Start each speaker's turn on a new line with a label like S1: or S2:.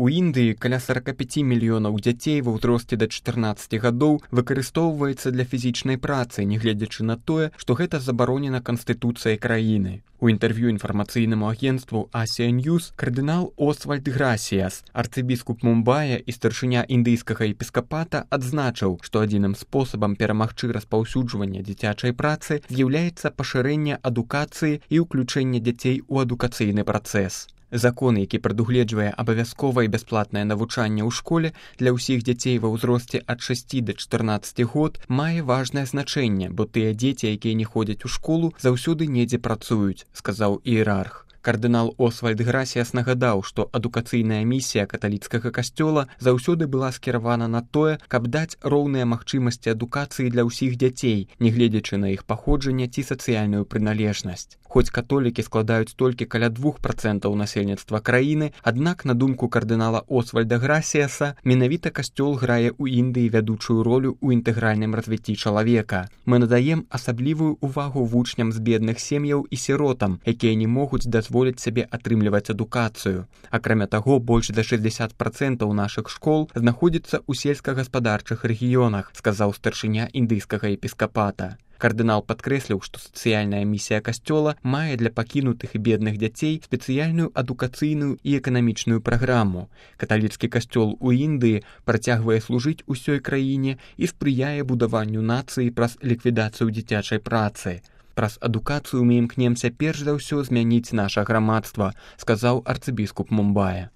S1: У Індыі каля 45 мільёнаў дзяцей ва ўзросце да 14 гадоў выкарыстоўваецца для фізічнай працы, нягледзячы на тое, што гэта забаронена Канстытуцыяй краіны. У інтэрв'ю інфармацыйнаму агенцтву Asia News кардынал Освальд Грасіяс, арцыбіскуп Мумбая і старшыня індыйскага епіскапата, адзначыў, што адзіным спосабам перамагчы распаўсюджвання дзіцячай працы з'яўляецца пашырэнне адукацыі і ўключэнне дзяцей у адукацыйны працэс. Закон, які прадугледжвае абавязковае бясплатнае навучанне ў школе для ўсіх дзяцей ва ўзросце ад 6 да 14 год, мае важнае значэнне, бо тыя дзеці, якія не ходзяць у школу, заўсёды недзе працуюць, сказаў іерарх. Кардынал Освальд Грасіяс нагадаў, што адукацыйная місія каталіцкага касцёла заўсёды была скіравана на тое, каб даць роўныя магчымасці адукацыі для ўсіх дзяцей, нягледзячы на іх паходжанне ці сацыяльную прыналежнасць. Хоць католікі складаюць толькі каля 2% насельніцтва краіны, аднак, на думку кардынала Освальда Грасіяса, менавіта касцёл грае ў Індыі вядучую ролю ў інтэгральным развіцці чалавека. Мы надаем асаблівую ўвагу вучням з бедных сем'яў і сіротам, якія не могуць дазволіць сабе атрымліваць адукацыю. Акрамя таго, больш за 60% нашых школ знаходзіцца ў сельскагаспадарчых рэгіёнах, сказаў старшыня індыйскага епіскапата. Кардынал падкрэсліў, што сацыяльная місія касцёла мае для пакінутых і бедных дзяцей спецыяльную адукацыйную і эканамічную праграму. Каталіцкі касцёл у Індыі працягвае служыць усёй краіне і спрыяе будаванню нацыі праз ліквідацыю дзіцячай працы. Праз адукацыю мы імкнемся перш за ўсё змяніць наша грамадства, сказаў арцыбіскуп Мумбая.